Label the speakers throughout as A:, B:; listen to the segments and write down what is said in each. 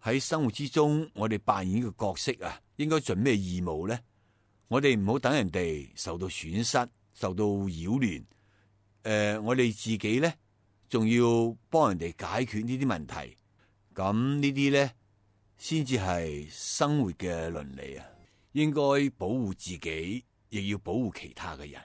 A: 喺生活之中，我哋扮演嘅角色啊，應該盡咩義務呢？我哋唔好等人哋受到損失、受到擾亂。我哋自己呢，仲要幫人哋解決呢啲問題。咁呢啲呢，先至係生活嘅倫理啊！應該保護自己，亦要保護其他嘅人。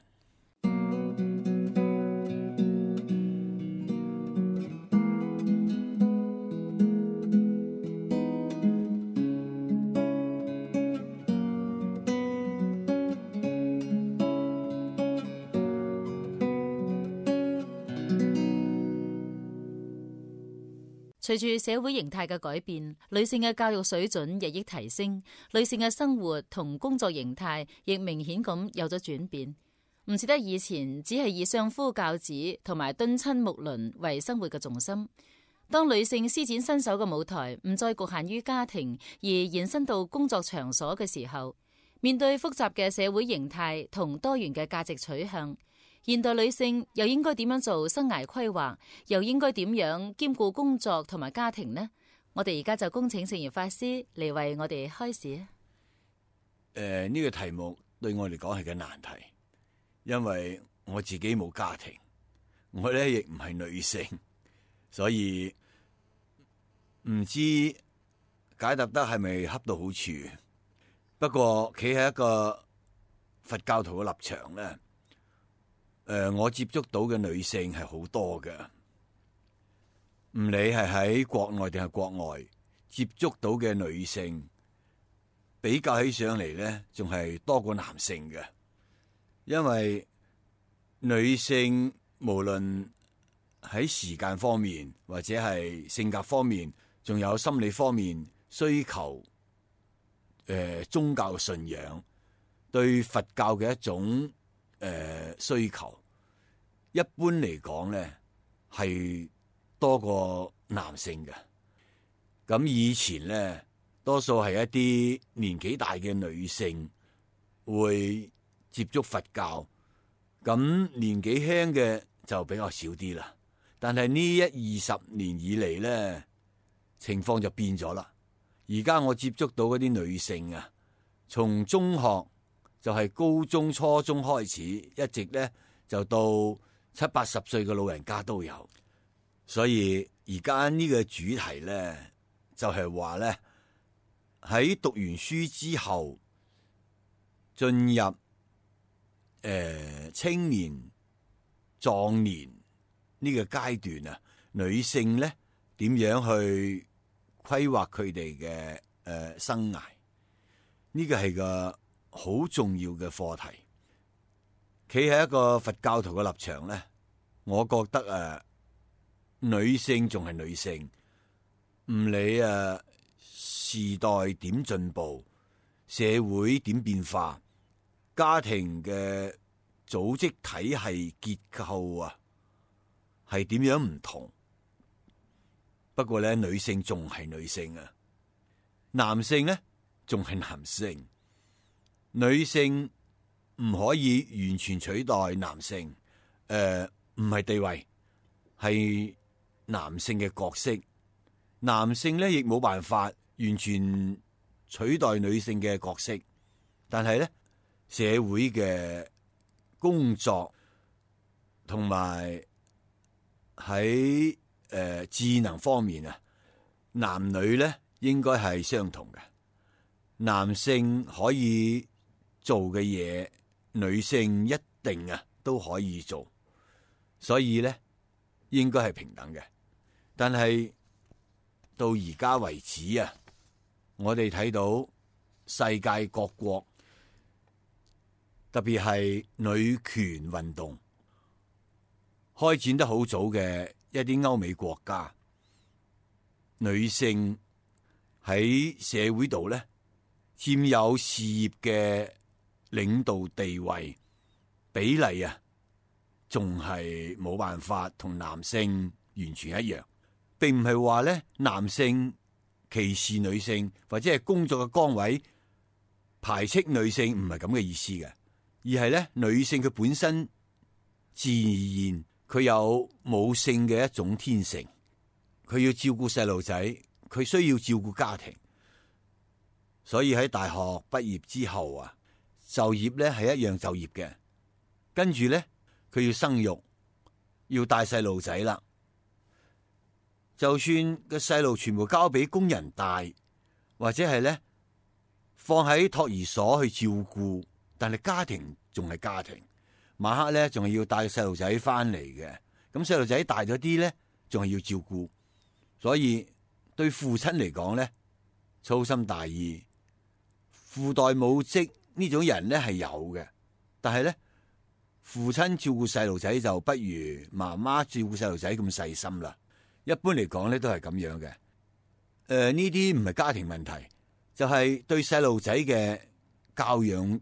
B: 隨住社會形態嘅改變，女性嘅教育水準日益提升，女性嘅生活同工作形態亦明顯咁有咗轉變。唔似得以前只係以相夫教子同埋敦親睦鄰為生活嘅重心。當女性施展身手嘅舞台唔再局限於家庭，而延伸到工作場所嘅時候，面對複雜嘅社會形態同多元嘅價值取向，現代女性又應該點樣做生涯規劃，又應該點樣兼顧工作同埋家庭呢？我哋而家就恭請聖嚴法師嚟為我哋開示。
A: 呢個題目對我嚟講係個難題，因為我自己冇家庭，我咧亦唔係女性，所以唔知解答得係咪恰到好處。不過企喺一個佛教徒嘅立場咧，我接觸到嘅女性係好多嘅，唔理係喺國內定係國外接觸到嘅女性，比較起上嚟咧，仲係多過男性嘅。因為女性無論喺時間方面或者係性格方面，仲有心理方面需求，宗教信仰對佛教嘅一種需求。一般嚟講咧，係多過男性嘅。咁以前咧，多數係一啲年紀大嘅女性會接觸佛教，咁年紀輕嘅就比較少啲啦。但係呢20年以嚟咧，情況就變咗啦。而家我接觸到嗰啲女性啊，從中學就係高中、初中開始，一直咧就到70、80歲嘅老人家都有。所以而家呢個主題咧，就係話咧，喺讀完書之後進入青年壯年呢個階段啊，女性咧點樣去規劃佢哋嘅生涯？呢個係個好重要嘅課題。企喺一個佛教徒嘅立場咧，我覺得女性仲係女性，唔理時代點進步，社會點變化，家庭嘅組織體系結構啊，係點樣唔同。不過咧，女性仲係女性啊，男性咧仲係男性。女性唔可以完全取代男性，唔係地位，係男性嘅角色。男性咧亦冇辦法完全取代女性嘅角色，但係咧社會嘅工作同埋喺智能方面啊，男女咧應該係相同嘅。男性可以做嘅嘢，女性一定都可以做，所以咧應該係平等嘅。但係到而家為止啊，我哋睇到世界各國，特別係女權運動開展得好早嘅一啲歐美國家，女性喺社會度咧佔有事業嘅領導地位比例啊，仲係冇辦法同男性完全一樣。並唔係話咧男性歧視女性，或者係工作嘅崗位排斥女性，唔係咁嘅意思嘅，而係咧女性佢本身自然佢有母性嘅一種天性，佢要照顧細路仔，佢需要照顧家庭，所以喺大學畢業之後啊，就業咧係一樣就業嘅。跟住咧，佢要生育，要帶細路仔啦。就算個細路全部交俾工人帶，或者係咧放喺托兒所去照顧，但係家庭仲係家庭。晚黑咧仲係要帶個細路仔翻嚟嘅。咁細路仔大咗啲咧，仲係要照顧。所以對父親嚟講咧，粗心大意、父代母職呢種人咧係有嘅，但係咧父親照顧細路仔就不如媽媽照顧細路仔咁細心啦。一般嚟講咧都係咁樣嘅。呢啲唔係家庭問題，就係對細路仔嘅教養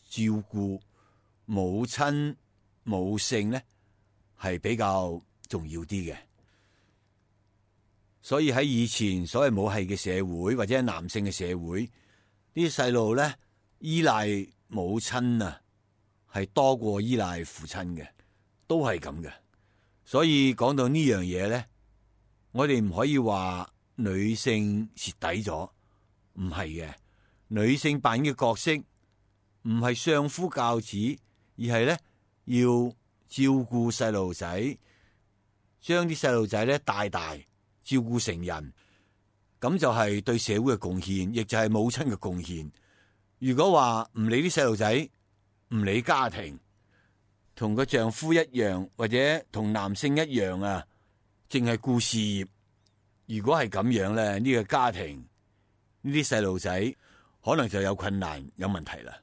A: 照顧，母親母性咧係比較重要啲嘅。所以喺以前所謂母系嘅社會或者係男性嘅社會，啲細路咧依賴母親啊係多過依賴父親嘅，都係咁嘅。所以講到呢樣嘢咧，我哋唔可以話女性蝕底咗，唔係嘅。女性扮演嘅角色唔係相夫教子，而係咧要照顧細路仔，將啲細路仔咧帶大，照顧成人，咁就係對社會嘅貢獻，亦就係母親嘅貢獻。如果話唔理啲細路仔，唔理家庭，同個丈夫一樣，或者同男性一樣啊，淨係顧事業，如果係咁樣咧，呢個家庭呢啲細路仔可能就有困難，有問題啦。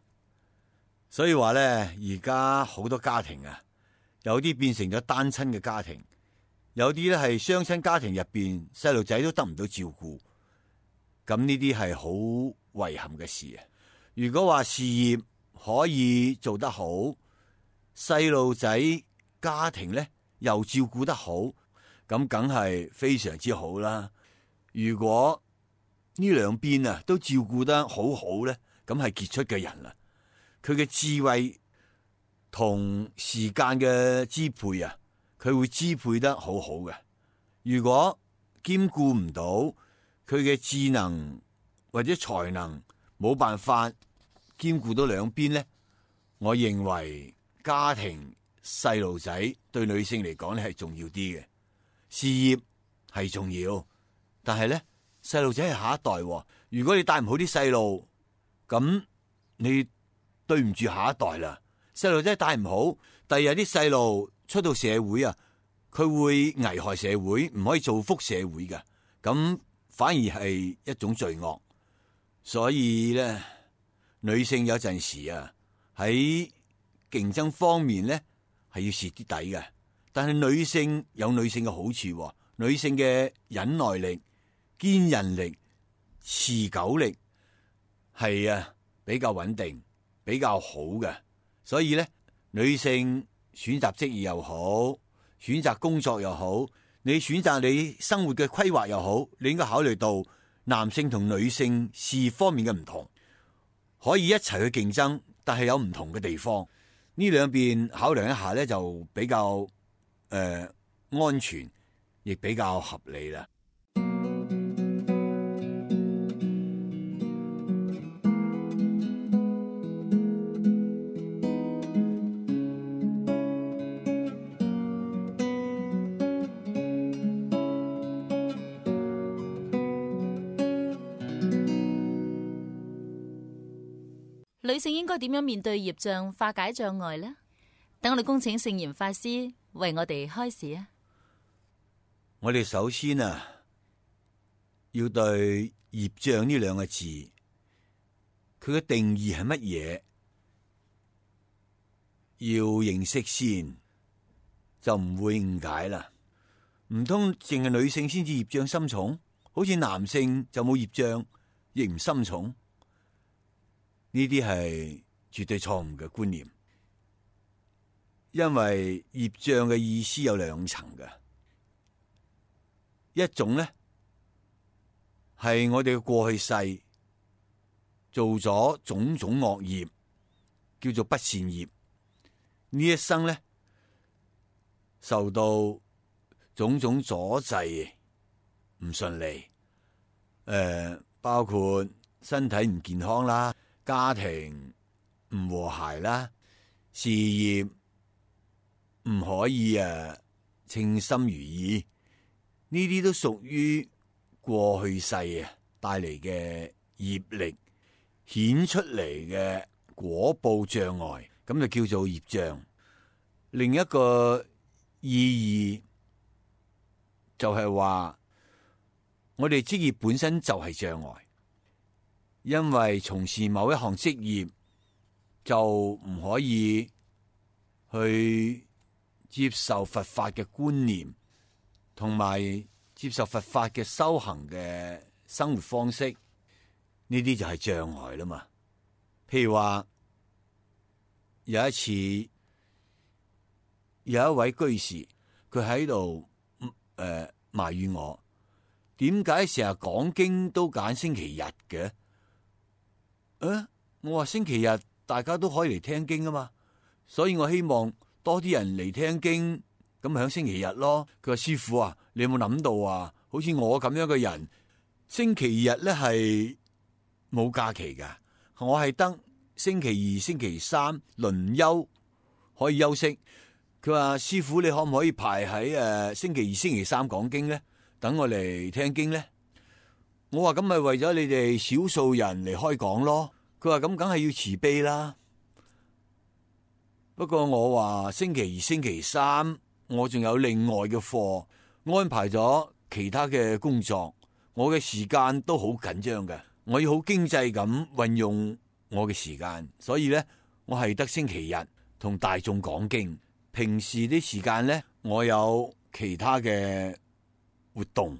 A: 所以話咧，而家好多家庭啊，有啲變成咗單親嘅家庭，有啲咧係雙親家庭入邊，細路仔都得唔到照顧，咁呢啲係好遺憾嘅事啊。如果話事業可以做得好，細路仔家庭咧又照顧得好，咁梗係非常之好啦。如果呢兩邊啊都照顧得好好咧，咁係傑出嘅人啦。佢嘅智慧同時間嘅支配啊，佢會支配得好好嘅。如果兼顧唔到佢嘅智能或者才能，冇辦法兼顧到兩邊咧，我認為家庭細路仔對女性嚟講咧係重要啲嘅。事業係重要，但係咧細路仔係下一代喎。如果你帶唔好啲細路，咁你對唔住下一代啦。細路仔帶唔好，第日啲細路出到社會啊，佢會危害社會，唔可以造福社會嘅，咁反而係一種罪惡。所以咧，女性有陣時啊喺競爭方面咧係要蝕啲底嘅，但係女性有女性嘅好處，女性嘅忍耐力、堅韌力、持久力係啊比較穩定，比較好嘅。所以咧，女性選擇職業又好，選擇工作又好，你選擇你生活嘅規劃又好，你應該考慮到男性同女性事業方面嘅唔同，可以一齊去競爭，但係有唔同嘅地方。呢兩邊考量一下咧，就比較安全，亦比較合理啦。
B: 女性應該點樣面對業障，化解障礙呢？等我哋恭請聖嚴法師為我哋開示啊！
A: 我哋首先啊，要對業障呢兩個字，佢嘅定義係乜嘢，要認識先，就唔會誤解啦。唔通淨係女性先至業障深重，好似男性就冇業障，亦唔深重？呢啲係絕對錯誤嘅觀念，因為業障嘅意思有兩層嘅，一種咧係我哋嘅過去世做咗種種惡業，叫做不善業，呢一生咧受到種種阻滯，唔順利，包括身體唔健康啦，家庭唔和諧啦，事業唔可以稱心如意，呢啲都屬於過去世帶嚟嘅業力顯出嚟嘅果報障礙，咁就叫做業障。另一個意義就係話，我哋職業本身就係障礙，因為從事某一項職業就唔可以去接受佛法嘅觀念，同埋接受佛法嘅修行嘅生活方式，呢啲就係障礙啦嘛。譬如話有一次有一位居士，佢喺度埋怨我，點解成日講經都揀星期日嘅？我話星期日大家都可以嚟聽經啊嘛，所以我希望多啲人嚟聽經，咁響星期日咯。佢話師父啊，你有冇諗到啊？好似我咁樣嘅人，星期日咧係冇假期噶，我係得星期二、星期三輪休可以休息。佢話師父，你可唔可以排喺星期二、星期三講經咧？等我嚟聽經咧？我話咁咪為咗你哋少數人嚟開講咯。佢話咁梗係要慈悲啦。不過我話星期二、星期三我仲有另外嘅課，安排咗其他嘅工作，我嘅時間都好緊張嘅，我要好經濟咁運用我嘅時間，所以咧我係得星期日同大眾講經。平時啲時間咧，我有其他嘅活動。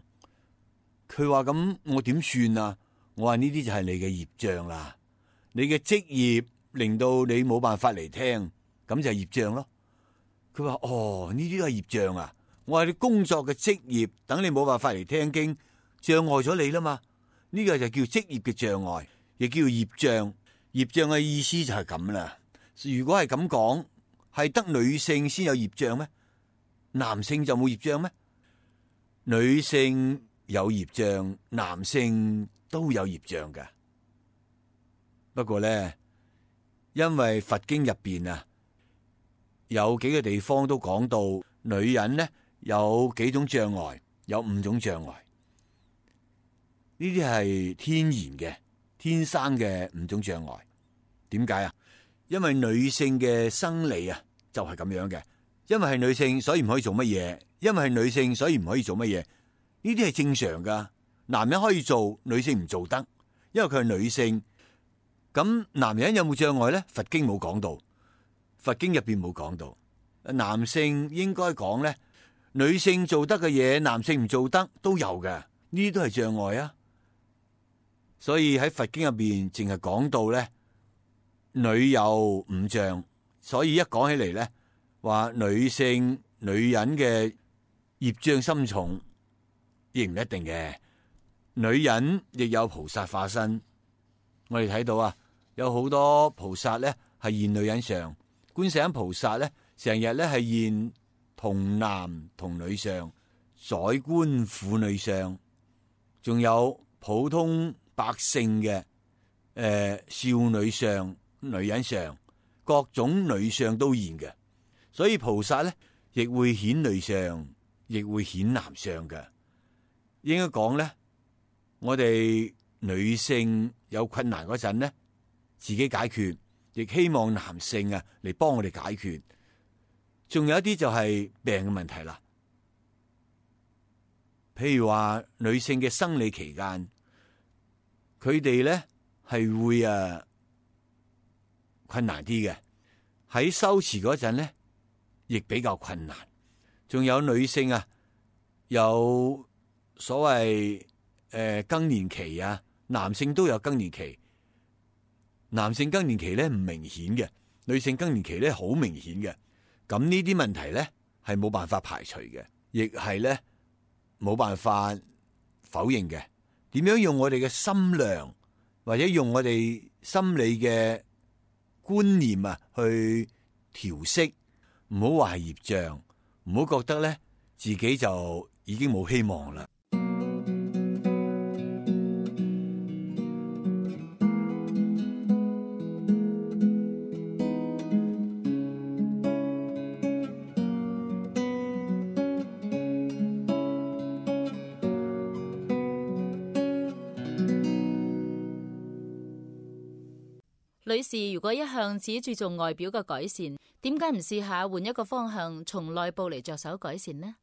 A: 佢話咁我點算啊？我話呢啲就係你嘅業障啦，你嘅職業令到你冇辦法嚟聽，咁就係業障咯。佢話哦，呢啲都係業障啊。我話你工作嘅職業等你冇辦法嚟聽經，障礙咗你啦嘛。呢個就叫職業嘅障礙，亦叫業障。業障嘅意思就係咁啦。如果係咁講，係得女性先有業障咩？男性就冇業障咩？女性有業障，男性都有業障㗎。不過咧，因為佛經入邊有幾個地方都講到女人咧有幾種障礙，有5種障礙。呢啲係天然嘅、天生嘅5種障礙。點解啊？因為女性嘅生理就係咁樣嘅，因為係女性所以唔可以做乜嘢，因為係女性所以唔可以做乜嘢。呢啲係正常噶，男人可以做，女性唔做得，因為佢係女性。咁男人有冇障礙咧？佛經冇講到，佛經入邊冇講到。男性應該講咧，女性做得嘅嘢，男性唔做得都有嘅，呢啲都係障礙啊。所以喺佛經入邊淨係講到咧，女有5障，所以一講起嚟咧，話女性女人嘅業障深重，亦唔一定嘅。女人亦有菩薩化身，我哋睇到有好多菩薩咧係現女人相，觀世音菩薩咧成日咧係現童男童女相，宰官婦女相，仲有普通百姓嘅少女相、女人相，各種女相都現嘅。所以菩薩咧亦會顯女相，亦會顯男相嘅。應該講咧，我哋女性有困難嗰陣咧，自己解決，亦希望男性嚟幫我哋解決。仲有一啲就係病嘅問題啦，譬如話女性嘅生理期間，佢哋咧係會困難啲嘅，喺修持嗰陣咧亦比較困難。仲有女性有所謂更年期男性都有更年期。男性更年期咧唔明顯嘅，女性更年期咧好明顯嘅。咁呢啲問題咧係冇辦法排除嘅，亦係咧冇辦法否認嘅。點樣用我哋嘅心量，或者用我哋心理嘅觀念去調息，唔好話係業障，唔好覺得咧自己就已經冇希望啦。
B: 女士如果一向只注重外表嘅改善，點解唔試下換一個方向，從內部嚟着手改善呢？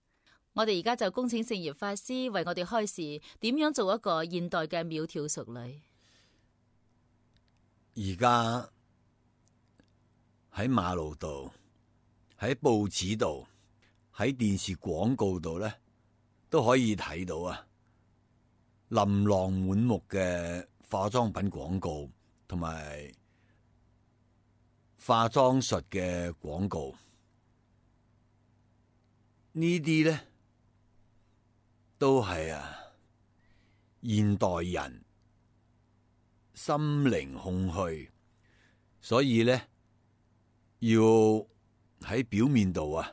B: 我哋而家就恭請聖嚴法師為我哋開示，點樣做一個現代嘅窈窕淑女。
A: 而家喺馬路度、喺報紙度、喺電視廣告度咧，都可以睇到啊，琳琅滿目嘅化妝品廣告同埋化妝術嘅廣告，呢啲咧都係現代人心靈空虛，所以咧要喺表面度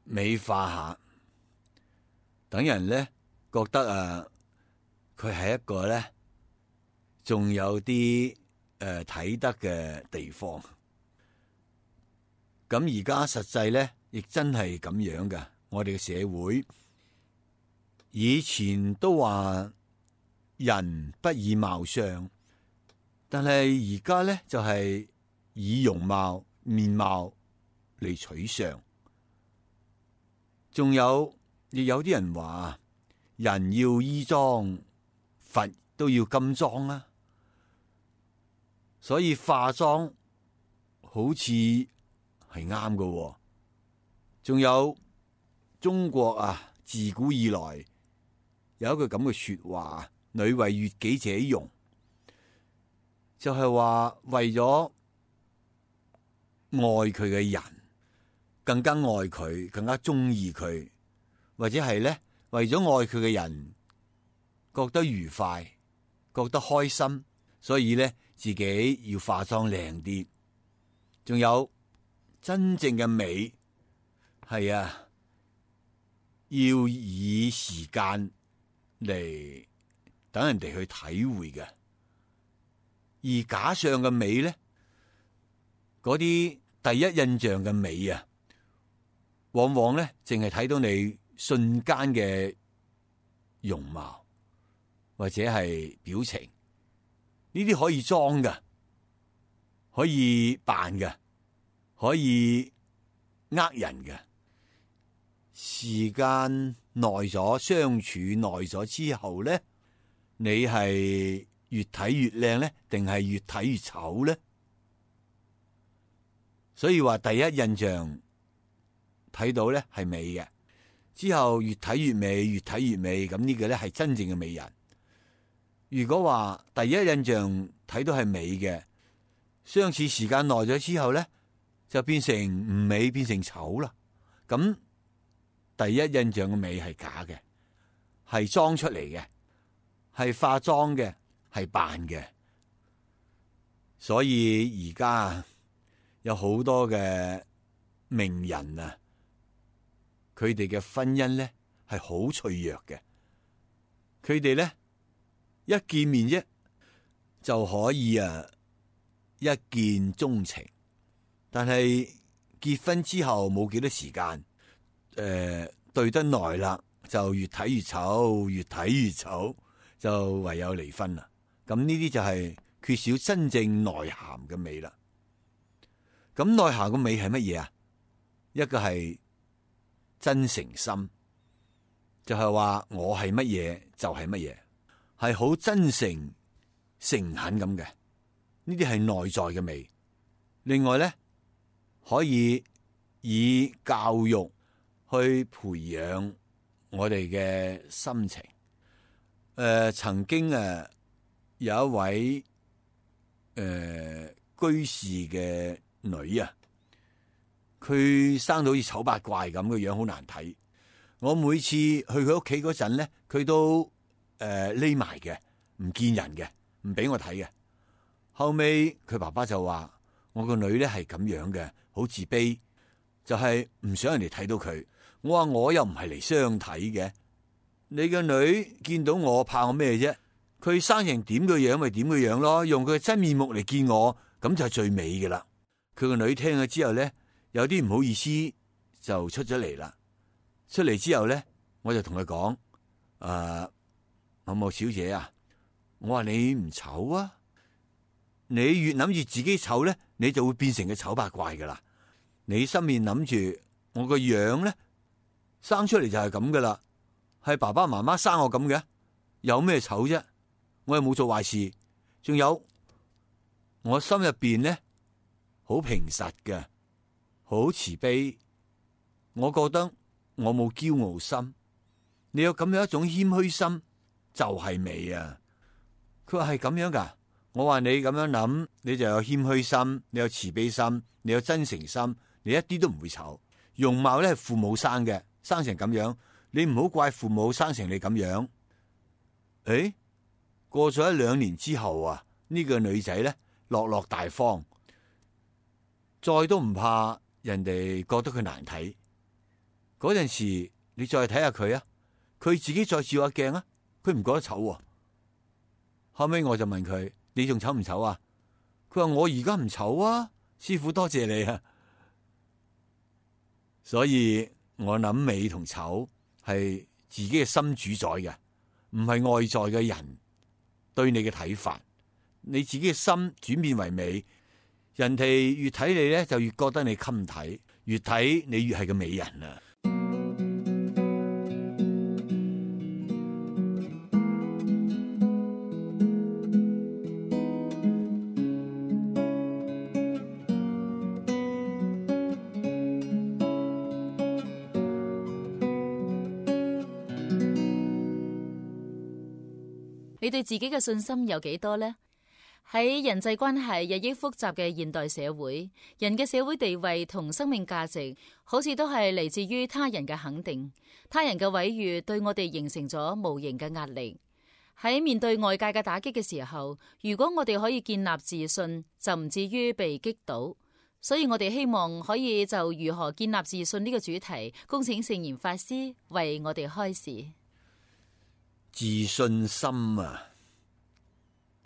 A: 美化下，等人咧覺得佢係一個咧仲有啲睇得嘅地方。咁而家實際咧亦真係咁樣㗎。我哋嘅社會以前都話人不以貌相，但係而家咧就係以容貌面貌嚟取相。仲有亦有啲人話人要衣裝，佛都要金裝啊。所以化妝好似係啱㗎。仲有中國自古以來有一句咁嘅說話，女為悅己者容，就係話為咗愛佢嘅人，更加愛佢，更加中意佢，或者係咧為咗愛佢嘅人覺得愉快，覺得開心，所以咧自己要化妝靚啲。仲有真正嘅美係要以時間嚟等人哋去體會嘅。而假相嘅美咧，嗰啲第一印象嘅美往往咧淨係睇到你瞬間嘅容貌或者係表情，呢啲可以裝㗎，可以扮㗎，可以呃人嘅。時間耐咗，相處耐咗之後咧，你係越睇越靚咧，定係越睇越醜咧？所以話第一印象睇到咧係美嘅，之後越睇越美，越睇越美，咁呢個咧係真正嘅美人。如果話第一印象睇到係美嘅，相處時間耐咗之後咧，就變成唔美，變成醜啦。咁第一印象嘅美係假嘅，係裝出嚟嘅，係化妝嘅，係扮嘅。所以而家有好多嘅名人佢哋嘅婚姻咧係好脆弱嘅。佢哋咧一見面啫就可以一見鍾情，但係結婚之後冇幾多時間，對得耐啦，就越睇越醜，越睇越醜，就唯有離婚啦。咁呢啲就係缺少真正內涵嘅美啦。咁內涵嘅美係乜嘢？一個係真誠心，就係話我係乜嘢就係乜嘢，係好真誠誠懇咁嘅。呢啲係內在嘅美。另外咧，可以以教育去培養我哋嘅心情。曾經有一位居士嘅女佢生到好似醜八怪咁嘅樣，好難睇。我每次去佢屋企嗰陣咧，佢都匿埋嘅，唔見人嘅，唔俾我睇嘅。後尾佢爸爸就話：我個女咧係咁樣嘅，好自卑，就係唔想人哋睇到佢。我話我又唔係嚟相睇嘅，你個女見到我怕我咩啫？佢生成點嘅樣咪點嘅樣咯，用佢嘅真面目嚟見我，咁就係最美嘅啦。佢個女聽咗之後咧，有啲唔好意思就出咗嚟啦。出嚟之後咧，我就同佢講：某某小姐我話你唔醜啊，你越諗住自己醜咧，你就會變成個醜八怪噶啦。你心面諗住我個樣咧，生出嚟就係咁噶啦，係爸爸媽媽生我咁嘅，有咩醜啫？我又冇做壞事，仲有我心入邊咧好平實嘅，好慈悲。我覺得我冇驕傲心，你有咁樣一種謙虛心就係美啊！佢話係咁樣噶，我話你咁樣諗，你就有謙虛心，你有慈悲心，你有真誠心，你一啲都唔會醜。容貌咧係父母生嘅，生成咁樣，你唔好怪父母生成你咁樣。誒，過咗1-2年之後啊，呢個女仔咧落落大方，再都唔怕人哋覺得佢難睇。嗰陣時你再睇下佢啊，佢自己再照下鏡啊，佢唔覺得醜喎。後尾我就問佢：你仲醜唔醜啊？佢話我而家唔醜啊，師父多謝你啊。所以我諗美同醜係自己嘅心主宰嘅，唔係外在嘅人對你嘅睇法。你自己嘅心轉變為美，人哋越睇你咧就越覺得你襟睇，越睇你越係個美人啊！
B: 你對自己嘅信心有幾多呢？喺人際關係日益複雜嘅現代社會，人嘅社會地位同生命價值，好似都係嚟自於他人嘅肯定。他人嘅毀譽對我哋形成咗無形嘅壓力。喺面對外界嘅打擊嘅時候，如果我哋可以建立自信，就唔至於被擊倒。所以我哋希望可以就如何建立自信呢個主題，恭請聖嚴法師為我哋開示。
A: 自信心啊，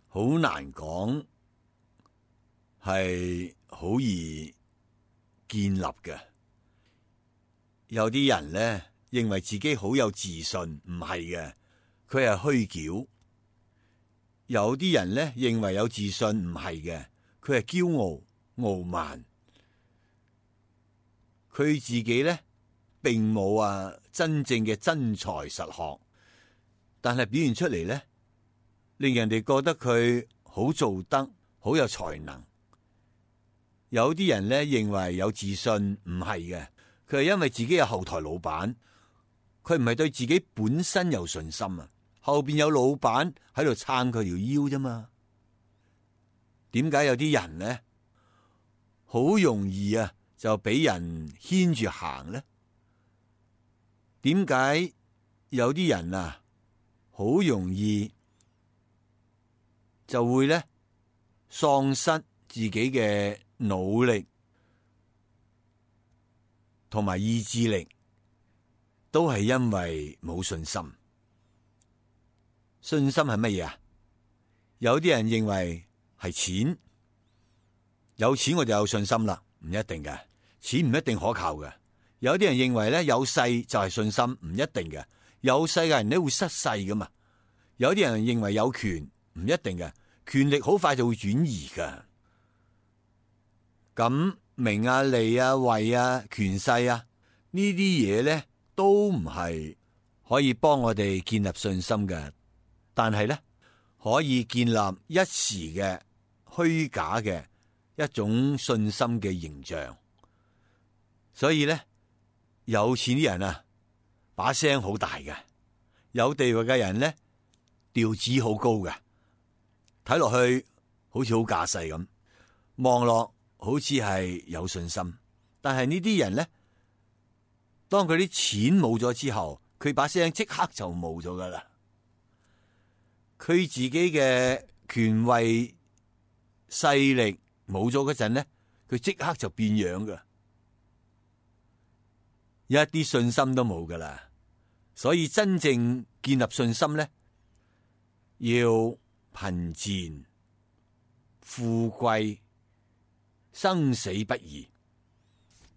A: 好難講，係好易建立嘅。有啲人咧認為自己好有自信，唔係嘅，佢係虛矯。有啲人咧認為有自信，唔係嘅，佢係驕傲傲慢。佢自己咧並冇真正嘅真才實學。但係表現出嚟咧，令人哋覺得佢好做得，好有才能。有啲人咧認為有自信，唔係嘅，佢係因為自己有後台老闆，佢唔係對自己本身有信心啊。後邊有老闆喺度撐佢條腰啫嘛。點解有啲人咧好容易就俾人牽住行咧？點解有啲人好容易就會咧喪失自己嘅努力同埋意志力，都係因為冇信心。信心係乜嘢啊？有啲人認為係錢，有錢我就有信心啦，唔一定嘅，錢唔一定可靠嘅。有啲人認為咧有勢就係信心，唔一定嘅。有勢嘅人咧會失勢噶嘛？有啲人認為有權，唔一定嘅，權力好快就會轉移噶。咁名利位權勢呢啲嘢咧都唔係可以幫我哋建立信心嘅，但係咧可以建立一時嘅虛假嘅一種信心嘅形象。所以咧有錢啲人把聲好大嘅，有地位嘅人咧調子好高嘅，睇落去好似好架勢咁，望落好似係有信心。但係呢啲人咧，當佢啲錢冇咗之後，佢把聲即刻就冇咗噶啦。佢自己嘅權位勢力冇咗嗰陣咧，佢即刻就變樣噶，一啲信心都冇噶啦。所以真正建立信心咧，要貧賤、富貴、生死不移。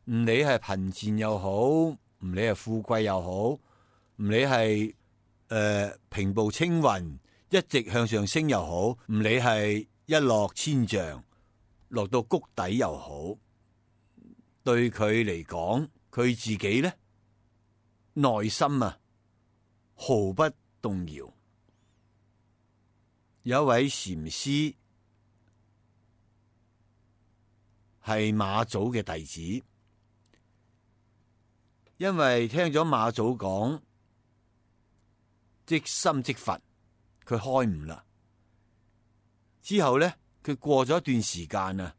A: 唔理係貧賤又好，唔理係富貴又好，唔理係平步青雲一直向上升又好，唔理係一一落千丈，落到谷底又好，對佢嚟講，佢自己呢，內心啊毫不動搖。有一位禪師係馬祖嘅弟子，因為聽咗馬祖講即心即佛，佢開悟啦。之後呢，佢過咗一段時間啊，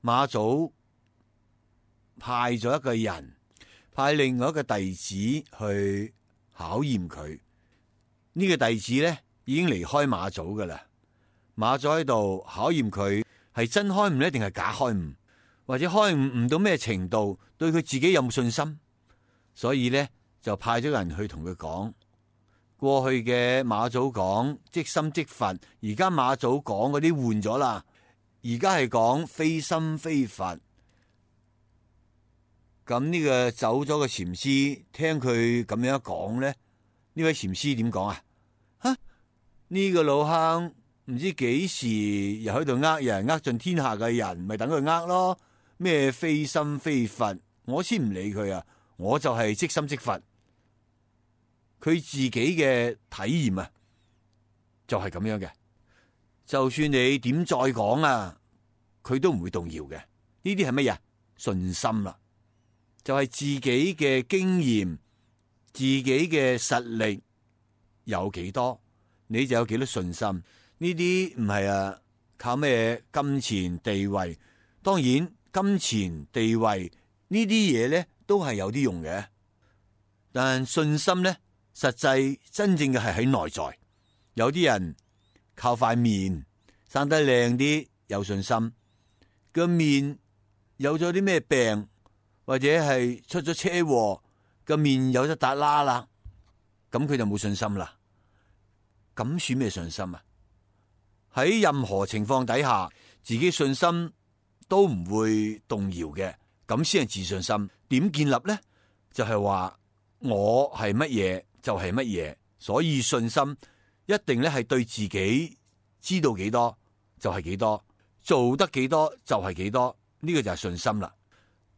A: 馬祖派咗一個人，派另外一個弟子去考驗佢。呢個弟子呢，已經離開馬祖噶啦。馬祖喺度考驗佢係真開悟呢，定係假開悟，或者開悟到咩程度，對佢自己有冇信心。所以呢，就派咗人去同佢講，過去嘅馬祖講即心即佛，而家馬祖講嗰啲換咗啦，而家係講非心非佛。咁呢個走咗嘅禪師聽佢咁樣講呢，呢位禪師點講啊？呢個老坑唔知幾時又喺度呃人，呃盡天下嘅人，咪等佢呃咯。咩非心非佛，我先唔理佢啊！我就係即心即佛。佢自己嘅體驗啊，就係咁樣嘅。就算你點再講啊，佢都唔會動搖嘅。呢啲係乜嘢？信心啦，就係自己嘅經驗、自己嘅實力有幾多，你就有幾多信心。呢啲唔係靠咩金錢地位。當然金錢地位呢啲嘢咧都係有啲用嘅，但信心咧實際真正嘅係喺內在。有啲人靠塊面生得靚啲有信心，個面有咗啲咩病或者係出咗車禍，個面有咗笪瘌啦，咁佢就冇信心啦。咁算咩信心啊？喺任何情況底下，自己信心都唔會動搖嘅，咁先係自信心。點建立呢？就係話我係乜嘢就係乜嘢，所以信心一定咧係對自己知道幾多就係幾多，做得幾多就係幾多，呢個就係信心啦。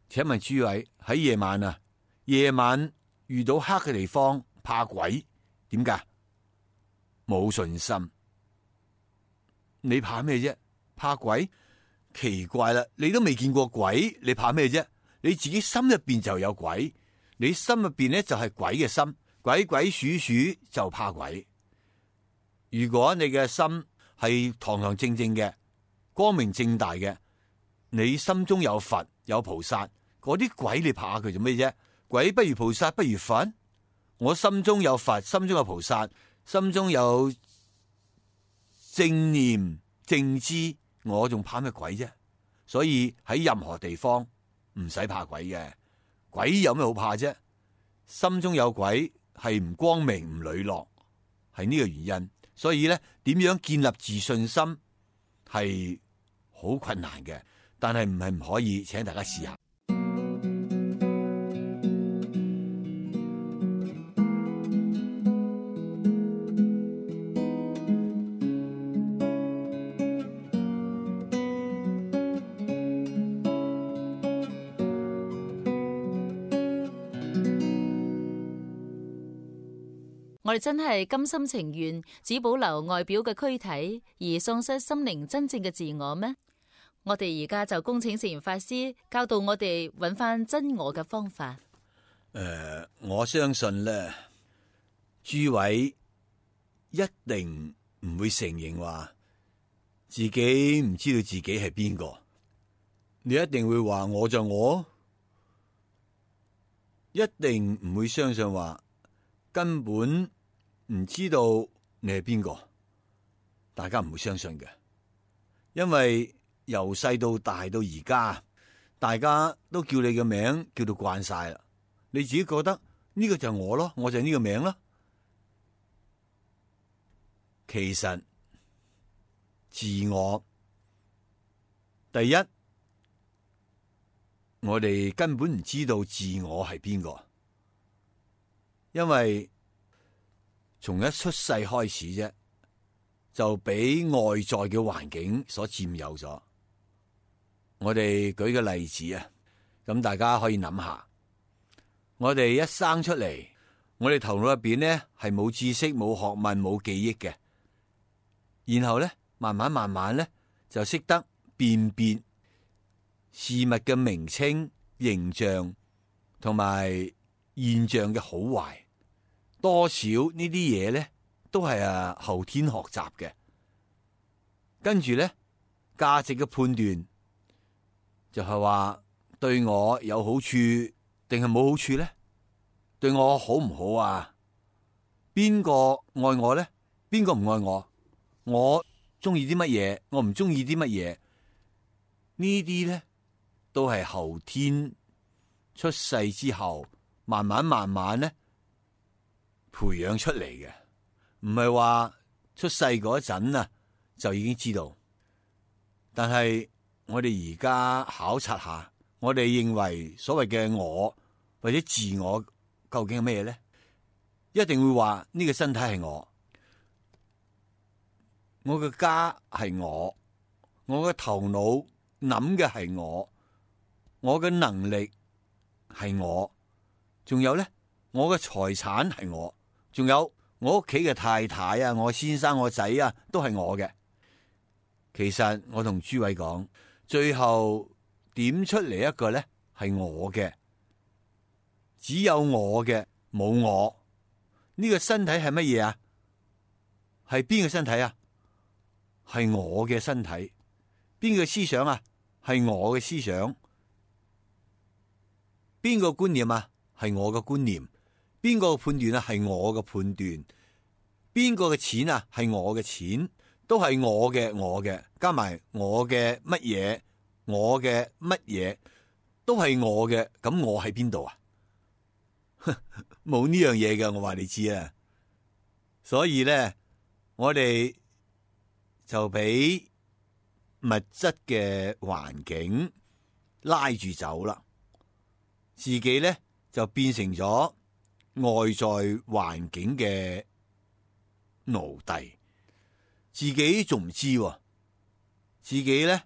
A: 請問諸位，喺夜晚啊，夜晚遇到黑嘅地方怕鬼，點解？冇信心。你怕咩啫？怕鬼？奇怪啦，你都未見過鬼，你怕咩啫？你自己心入邊就有鬼，你心入邊咧就係鬼嘅心，鬼鬼祟祟就怕鬼。如果你嘅心係堂堂正正嘅、光明正大嘅，你心中有佛有菩薩，嗰啲鬼你怕佢做咩啫？鬼不如菩薩不如佛。我心中有佛，心中有菩薩，心中有正念正知，我仲怕咩鬼啫？所以喺任何地方唔使怕鬼嘅，鬼有咩好怕啫？心中有鬼係唔光明唔磊落，係呢個原因。所以咧，點樣建立自信心係好困難嘅，但係唔係唔可以，請大家試下。
B: 我哋真係甘心情願只保留外表嘅軀體，而喪失心靈真正嘅自我咩？我哋而家就恭請聖嚴法師教導我哋揾翻真我嘅方法。
A: 我相信咧，諸位一定唔會承認話自己唔知道自己係邊個，你一定會話我就我，一定唔會相信話根本唔知道你係邊個，大家唔會相信嘅，因為由細到大到而家，大家都叫你嘅名叫到慣晒啦，你自己覺得呢個就係我咯，我就係呢個名咯。其實自我第一，我哋根本唔知道自我係邊個，因為從一出世開始啫，就俾外在嘅環境所佔有咗。我哋舉個例子啊，咁大家可以諗下，我哋一生出嚟，我哋頭腦入邊咧係冇知識、冇學問、冇記憶嘅，然後咧慢慢咧就識得辨別事物嘅名稱、形象同埋現象嘅好壞，多少呢啲嘢咧都係後天學習嘅。跟住咧價值嘅判斷就係話對我有好處定係冇好處咧？對我好唔好啊？邊個愛我咧？邊個唔愛我？我中意啲乜嘢？我唔中意啲乜嘢？呢啲咧都係後天出世之後慢慢咧培養出嚟嘅，唔係話出世嗰陣啊就已經知道。但係我哋而家考察下，我哋認為所謂嘅我或者自我究竟係咩咧？一定會話呢個身體係我嘅家係我嘅頭腦諗嘅係我嘅能力係我，仲有咧我嘅財產係我，仲有我屋企嘅太太啊，我先生我仔啊都係我嘅。其實我同諸位講，最後點出嚟一個咧係我嘅，只有我嘅，冇我。呢個身體係乜嘢啊？係邊個身體啊？係我嘅身體。邊個思想啊？係我嘅思想。邊個觀念啊？係我嘅觀念。邊個判斷啊？係我嘅判斷。邊個嘅錢啊？係我嘅錢。都係我嘅，加埋我嘅乜嘢，我嘅乜嘢，都係我嘅。咁我喺邊度啊？冇呢樣嘢嘅，我話你知啊。所以咧，我哋就俾物質嘅環境拉住走啦，自己咧就變成咗外在環境嘅奴隸。自己仲唔知，自己咧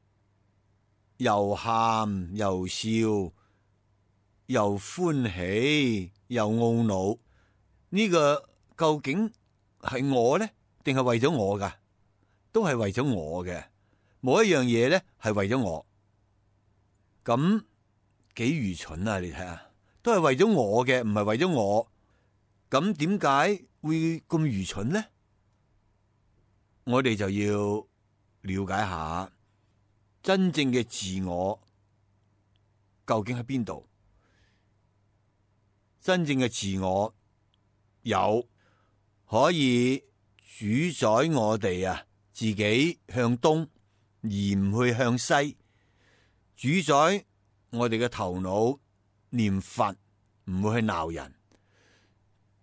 A: 又喊又笑又歡喜又懊惱，呢個究竟係我咧，定係為咗我噶？都係為咗我嘅，冇一樣嘢咧係為咗我。咁幾愚蠢啊！你睇下，都係為咗我嘅，唔係為咗我。咁點解會咁愚蠢咧？我哋就要了解下真正嘅自我究竟喺邊度？真正嘅自我有可以主宰我哋啊，自己向東而唔去向西，主宰我哋嘅頭腦念佛，唔會去鬧人，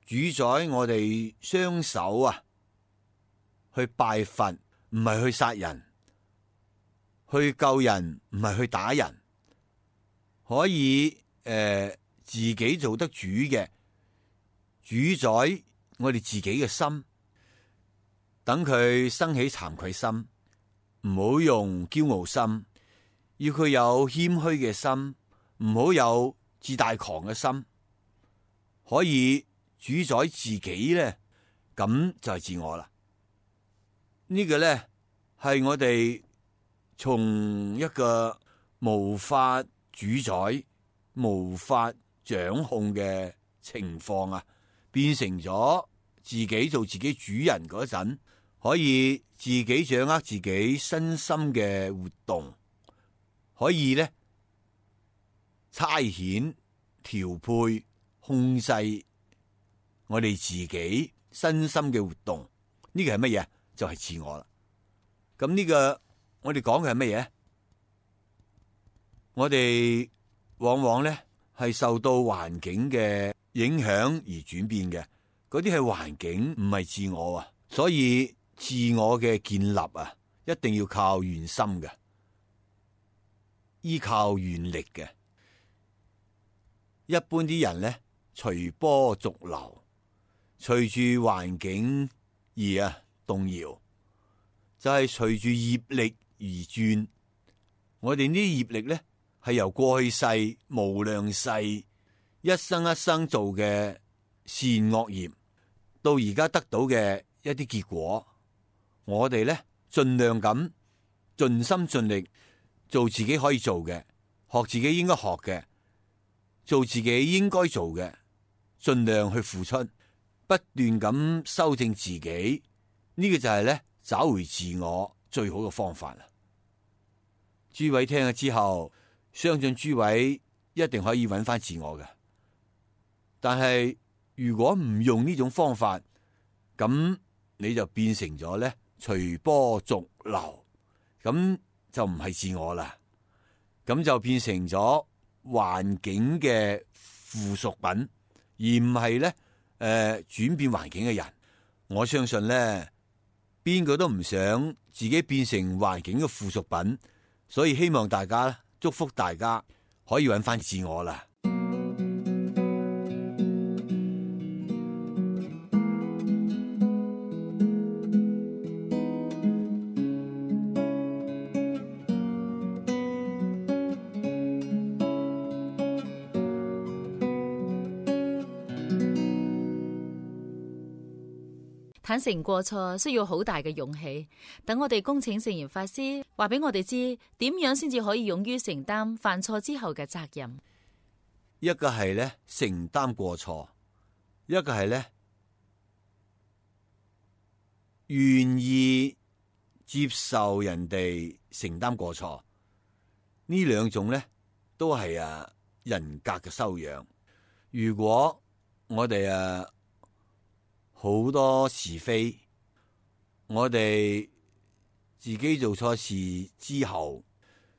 A: 主宰我哋雙手啊去拜佛，唔係去殺人，去救人，唔係去打人，可以自己做得主嘅，主宰我哋自己嘅心，等佢生起慚愧心，唔好用驕傲心，要佢有謙虛嘅心，唔好有自大狂嘅心，可以主宰自己咧，咁就係自我啦。呢個咧係我哋從一個無法主宰、無法掌控嘅情況啊，變成咗自己做自己主人嗰陣，可以自己掌握自己身心嘅活動，可以咧差遣、調配、控制我哋自己身心嘅活動。呢個係乜嘢？就係自我啦。咁呢個我哋講嘅係乜嘢？我哋往往咧係受到環境嘅影響而轉變嘅，嗰啲係環境，唔係自我啊。所以自我嘅建立啊，一定要靠願心嘅，依靠願力嘅。一般啲人咧隨波逐流，隨住環境而動搖，就係隨住業力而轉。我哋呢啲業力咧，係由過去世無量世一生一生做嘅善惡業，到而家得到嘅一啲結果，我哋咧盡量咁盡心盡力做自己可以做嘅，學自己應該學嘅，做自己應該做嘅，盡量去付出，不斷咁修正自己，呢個就係咧找回自我最好嘅方法啦。諸位聽咗之後，相信諸位一定可以揾翻自我嘅。但係如果唔用呢種方法，咁你就變成咗咧隨波逐流，咁就唔係自我啦，咁就變成咗環境嘅附屬品，而唔係咧轉變環境嘅人。我相信咧，邊個都唔想自己變成環境嘅附屬品。所以希望大家，祝福大家可以揾翻自我啦。
B: 坦誠過錯需要好大嘅勇氣，等我哋恭請聖嚴法師話俾我哋知，點樣先至可以勇於承擔犯錯之後嘅責任。
A: 一個係咧承擔過錯，一個係咧願意接受人哋承擔過錯。呢兩種咧都係人格嘅修養。如果我哋好多是非，我哋自己做錯事之後，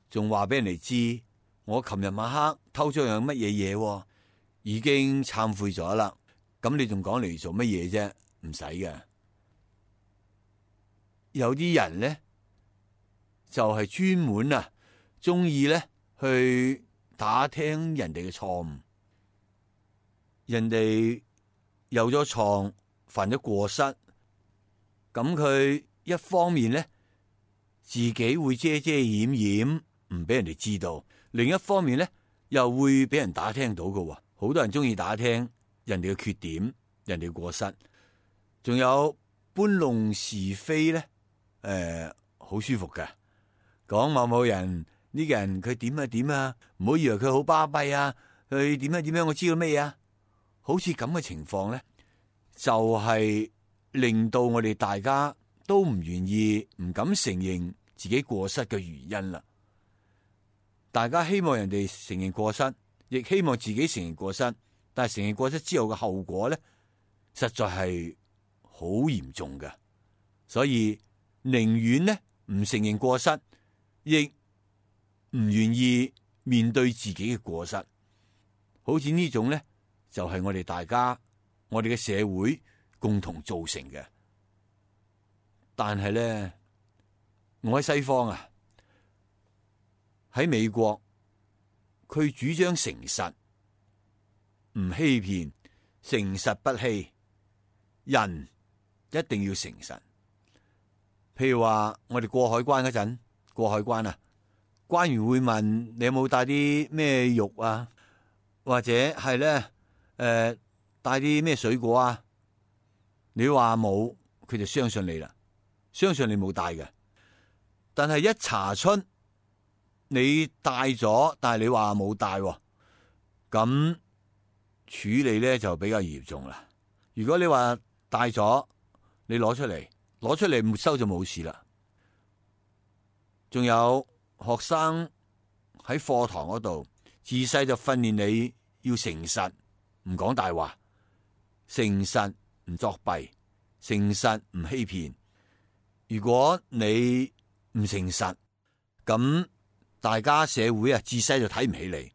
A: 仲話俾人哋知，我琴日晚黑偷咗樣乜嘢嘢，已經懺悔咗啦。咁你仲講嚟做乜嘢啫？唔使嘅。有啲人咧就係專門中意咧去打聽人哋嘅錯誤，人哋有咗錯，犯咗過失，咁佢一方面咧自己會遮遮掩掩，唔俾人哋知道；另一方面咧又會俾人打聽到嘅。好多人中意打聽人哋嘅缺點、人哋嘅過失，仲有搬弄是非咧。好舒服嘅，講某某人呢個人佢點啊點啊，唔好以為佢好巴閉啊，佢點樣點樣，我知道咩啊？好似咁嘅情況咧，就係令到我哋大家都唔願意、唔敢承認自己過失嘅原因啦。大家希望人哋承認過失，亦希望自己承認過失，但係承認過失之後嘅後果咧，實在係好嚴重嘅。所以寧願呢唔承認過失，亦唔願意面對自己嘅過失。好似呢種咧，就係我哋大家。我哋嘅社會共同造成嘅，但係咧，我喺西方喺美國，佢主張誠實，唔欺騙，誠實不欺，人一定要誠實。譬如話，我哋過海關嗰陣，過海關關員會問你有冇帶啲咩肉啊，或者係咧，帶啲咩水果啊？你話冇，佢就相信你啦，相信你冇帶嘅。但係一查出你帶咗，但係你話冇帶，咁處理咧就比較嚴重啦。如果你話帶咗，你攞出嚟沒收就冇事啦。仲有學生喺課堂嗰度，自細就訓練你要誠實，唔講大話。誠實唔作弊，誠實唔欺騙。如果你唔誠實，咁大家社會自細就睇唔起你。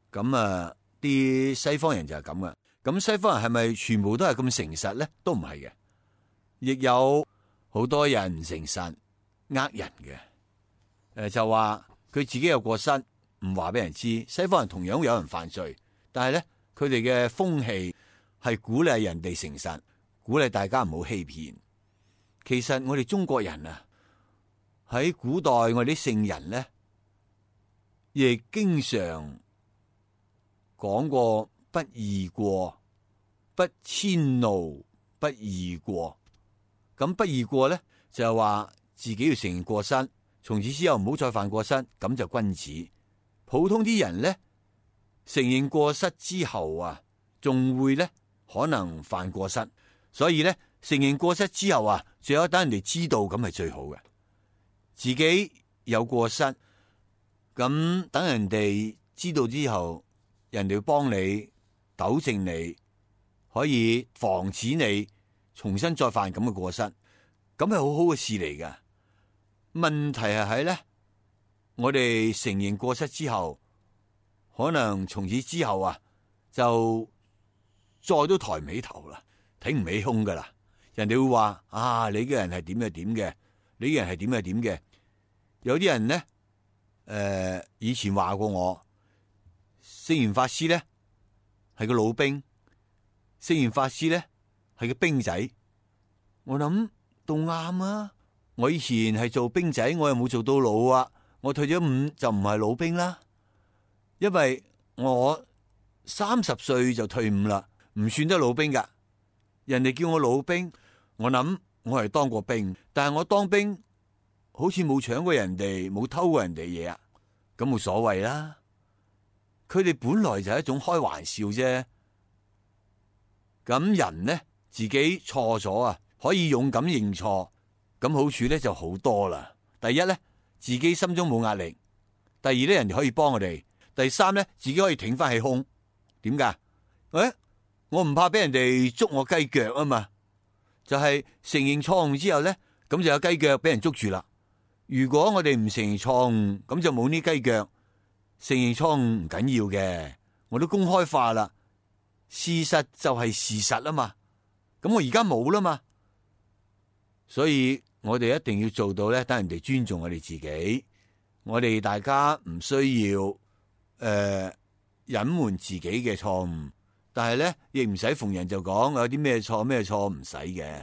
A: 咁啲西方人就係咁嘅。咁西方人係咪全部都係咁誠實咧？都唔係嘅，亦有好多人唔誠實，呃人嘅。就話佢自己有過失，唔話俾人知。西方人同樣會有人犯罪，但係咧，佢哋嘅風氣係鼓勵人哋誠實，鼓勵大家唔好欺騙。其實我哋中國人啊，喺古代我哋啲聖人咧，亦經常講過不義過，不遷怒，不義過。咁不義過咧，就係話自己要承認過失，從此之後唔好再犯過失，咁就君子。普通啲人咧，承認過失之後啊，仲會咧可能犯過失，所以咧承認過失之後啊，最好等人哋知道，咁係最好嘅。自己有過失，咁等人哋知道之後，人哋會幫你糾正你，可以防止你重新再犯咁嘅過失，咁係好好嘅事嚟㗎。問題係喺咧，我哋承認過失之後，可能從此之後啊，就再都抬唔起頭啦，挺唔起胸噶啦。人哋會話啊，你嘅人係點嘅點嘅，你嘅人係點嘅點嘅。有啲人咧，以前話過我，聖嚴法師咧係個老兵，聖嚴法師咧係個兵仔。我諗都啱啊！我以前係做兵仔，我又冇做到老啊。我退咗伍就唔係老兵啦，因為我30歲就退伍啦，唔算得老兵噶。人哋叫我老兵，我諗我係當過兵，但係我當兵好似冇搶過人哋，冇偷過人哋嘢啊，咁冇所謂啦。佢哋本來就係一種開玩笑啫。咁人呢，自己錯咗啊，可以勇敢認錯，咁好處咧就好多啦。第一咧，自己心中冇壓力；第二咧，人哋可以幫我哋；第三咧，自己可以挺翻起胸。點解？我唔怕俾人哋捉我雞腳啊嘛。就係承認錯誤之後咧，咁就有雞腳俾人捉住啦。如果我哋唔承認錯誤，咁就冇呢雞腳。承認錯誤唔緊要嘅，我都公開化啦。事實就係事實啊嘛。咁我而家冇啦嘛，所以我哋一定要做到咧，等人哋尊重我哋自己。我哋大家唔需要隱瞞自己嘅錯誤，但係咧亦唔使逢人就講有啲咩錯咩錯，唔使嘅。